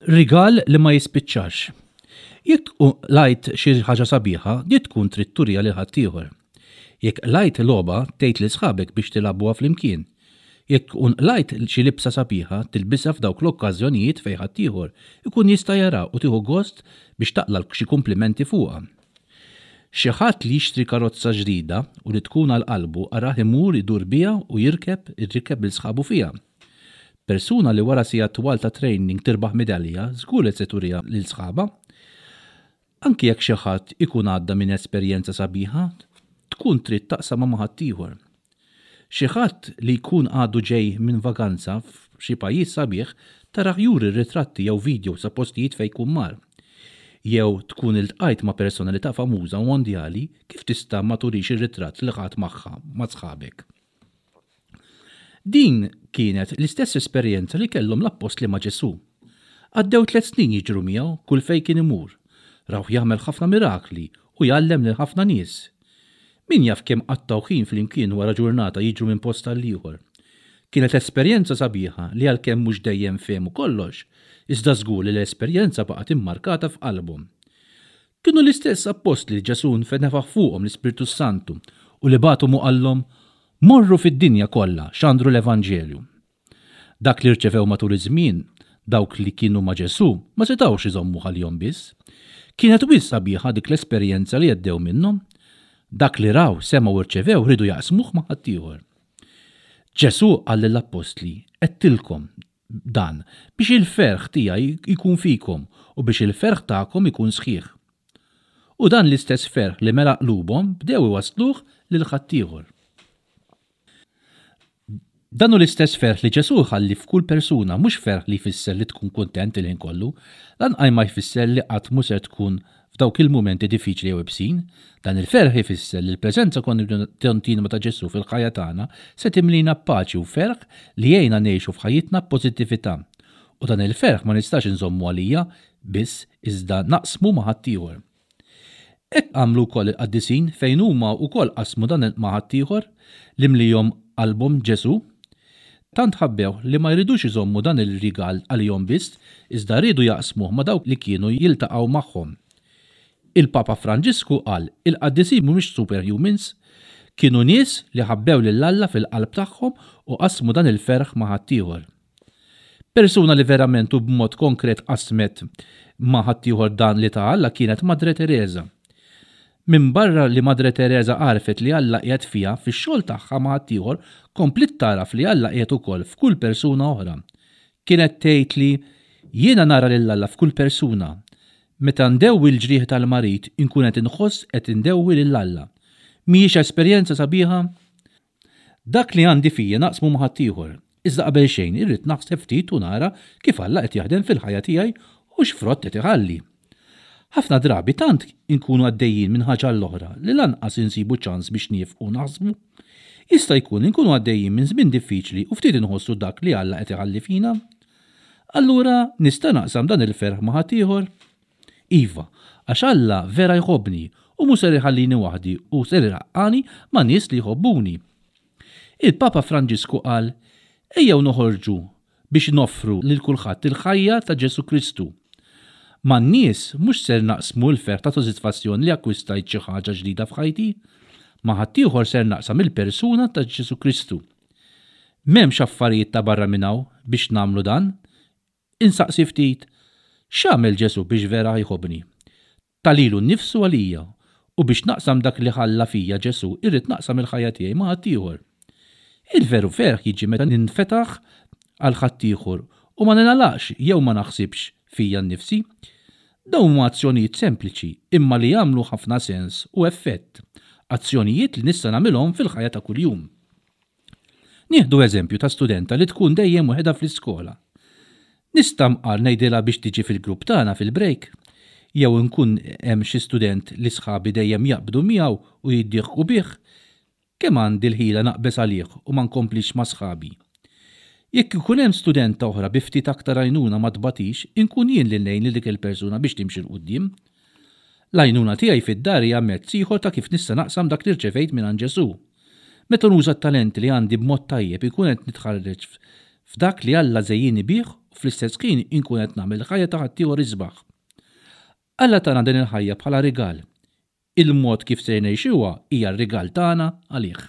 Rigal li ma jispiċċax. Jekk tkun qlajt xi ħaġa sabiħa, di tkun trid turiha lil ħaddieħor. Jekk qlajt logħba, tgħid lil sħabek biex tilagħbuha flimkien. Jekk tkun qlajt xi libsa sabiħa, tilbisha f'dawk l-okkażjonijiet fejn ħaddieħor ikun jista' jaraha u tieħu gost biex taqla' xi kumplimenti fuqha. Xi ħadd li jixtri karozza ġdida u li tkun għal qalbu arah imur idur biha u jirkeb irrikkeb lil sħabu fiha. Persuna li wara sigħat twal ta' training tirbaħ midalja żgur li se turiha lil sħabha. Anki jekk xi ħadd ikun għadda minn esperjenza sabiħa, tkun trid taqsamha ma' ħaddieħor. Xi ħadd li jkun għadu ġej minn vaganza f'xi pajjiż sabiħ tarah juri ritratti jew videos ta' postijiet fejn jkun mar. Jew tkun iltqajt ma' personalità famuża u mondjali, kif tista' ma turix ir-ritratt li ħadt magħha ma' sħabek? Din kienet l-istess esperjenza li kellhom l-appostli ma' Ġesù. Għaddew tlett snin jiġru miegħu kull fejn kien imur. Rawh jagħmel ħafna mirakli u jgħallem lil ħafna nies. Min jaf kemm qattgħu ħin flimkien wara ġurnata jiġru minn post għall-ieħor. Kienet esperjenza sabiħa li għalkemm mhux dejjem fehmu kollox, iżda żgur li l-esperjenza baqgħet immarkata f'qalbhom. Kienu l-istess appostli li Ġesù nfenefaħ fuqhom l-Ispirtu s-Santu u li bagħathom u qallhom, Morru fid-dinja kollha, xandru l-Evanġelju. Dak li rċevew matul iż-żmien, dawk li kienu ma' Ġesù ma setgħux iżommuh għalihom biss. Kienet wisq sabiħa dik l-esperjenza li għeddew minnhom. Dak li raw, semgħu u rċevew riedu jaqsmuh ma' ħaddieħor. Ġesù qal lill-appostli, Għedtilkom, dan, biex il-ferħ tiegħi jkun fikom u biex il-ferħ tagħkom ikun sħiħ. U dan l-istess ferħ li mela qlubhom bdew iwassluh lil ħaddieħor. Dan hu l-istess ferħ li Ġesù jħalli f'kull persuna, mhux ferħ li jfisser li tkun kuntent il-ħin kollu, lanqaj ma jfisser li qatt mhu ser tkun F'dawk il-mumenti diffiċli jew ibsin, dan il-ferħ ifisser li l-preżenza kontinwa ta' Ġesù fil-ħajja tagħna se timlina b'paċi u ferħ li jgħinna ngħixu f'ħajjitna b'pożittività. U dan il-ferħ ma nistax inżommu għalija biss iżda naqsmu ma' ħaddieħor. Hekk għamlu wkoll il-qaddisin fejn huma wkoll qasmu dan ma' ħaddieħor li mliehom qalbhom Ġesù. Tant ħabbewh li ma jridux iżommu dan il-rigal għalihom biss, iżda riedu jaqsmuh ma' dawk li kienu jiltaqgħu magħhom. Il-Papa Franġisku qal, Il-qaddisin mhumiex superhumans. Kienu nies li ħabbew lil Alla fil-qalb tagħhom u qasmu dan il-ferħ ma' ħaddieħor. Persuna li verament u b'mod konkret qasmet ma' ħaddieħor dan li ta Alla kienet Madre Tereża. Minbarra li Madre Tereża għarfet li Alla qiegħed fiha, fix-xogħol tagħha ma' ħaddieħor kompliet tagħraf li Alla qiegħed ukoll f'kull persuna oħra. Kienet tgħid li, Jiena nara lil Alla f'kull persuna. Meta ndewwi l-ġrieħi tal-marid inkun qed inħoss qed indewwi lil Alla. Mhijiex esperjenza sabiħa? Dak li għandi fija naqsmu ma' ħaddieħor. Iżda qabel xejn irrid naħseb ftit u nara kif Alla qed jaħdem fil-ħajja tiegħi u x'frott qed iħalli. Ħafna drabi tant inkunu għaddejjin minn ħaġa għall-oħra li lanqas insibu ċans biex niefqu naħsbu. Jista' jkun li nkunu għaddejjin minn żmien diffiċli u ftit inħossu dak li Alla qed iħalli fina. Allura nista' naqsam dan il-ferħ ma' ħaddieħor? Iva, għax Alla vera jħobbni u mhu ser iħallini waħdi u ser ilaqqagħni ma' nies li jħobbuni. Il-Papa Franġisku qal, Ejjew noħorġu biex noffru lil kulħadd il-ħajja ta' Ġesù Kristu. Man-nies mhux ser naqsmu l-ferħ ta' sodisfazzjon li akkwistajt xi ħaġa ġdida f'ħajti. Ma' ħaddieħor ser naqsam il-persuna ta' Ġesù Kristu. M'hemmx affarijiet ta' barra minn hawn biex nagħmlu dan, Insaqsi ftit, X'għamel Ġesù biex vera jħobbni? Ta lilu nnifsu għalija, u biex naqsam dak li ħalla fija Ġesù irrid naqsam il-ħajja tiegħi ma' ħaddieħor. Il-veru ferħ jiġi meta ninfetaħ għal ħaddieħor u ma ningħalaqx jew ma naħsibx fija nnifsi. Dawn huma azzjonijiet sempliċi imma li jagħmlu ħafna sens u effett, azzjonijiet li nista' nagħmilhom fil-ħajja ta' kuljum. Nieħdu eżempju ta' studenta li tkun dejjem waħedha fl-iskola. Nista' mqar ngħidilha biex tiġi fil-grupp tagħna fil-break? Jew inkun hemm xi student li sħabi dejjem jaqbdu miegħu u jiddieħku bih, kemm għandi l-ħila naqbeż għalih u ma nkomplix ma' sħabi? Jekk ikun hemm studenta oħra bi ftit aktar għajnuna ma tbatix, inkun jien li ngħin lil dik il-persuna biex timxi 'l quddiem. L-għajnuna tiegħi fid-dar hija mezz ieħor ta' kif nista' naqsam dak li rċevejt mingħand Ġesù. Meta nuża t-talenti li għandi b'mod tajjeb inkun qed nitħarreġ f'dak li Alla żejjinni bih u fl-istess ħin inkun qed nagħmel il-ħajja ta' ħaddieħor isbaħ. Alla tana din il-ħajja bħala rigal. Il-mod kif ser ngħixuha hija r-rigal tagħna għalih.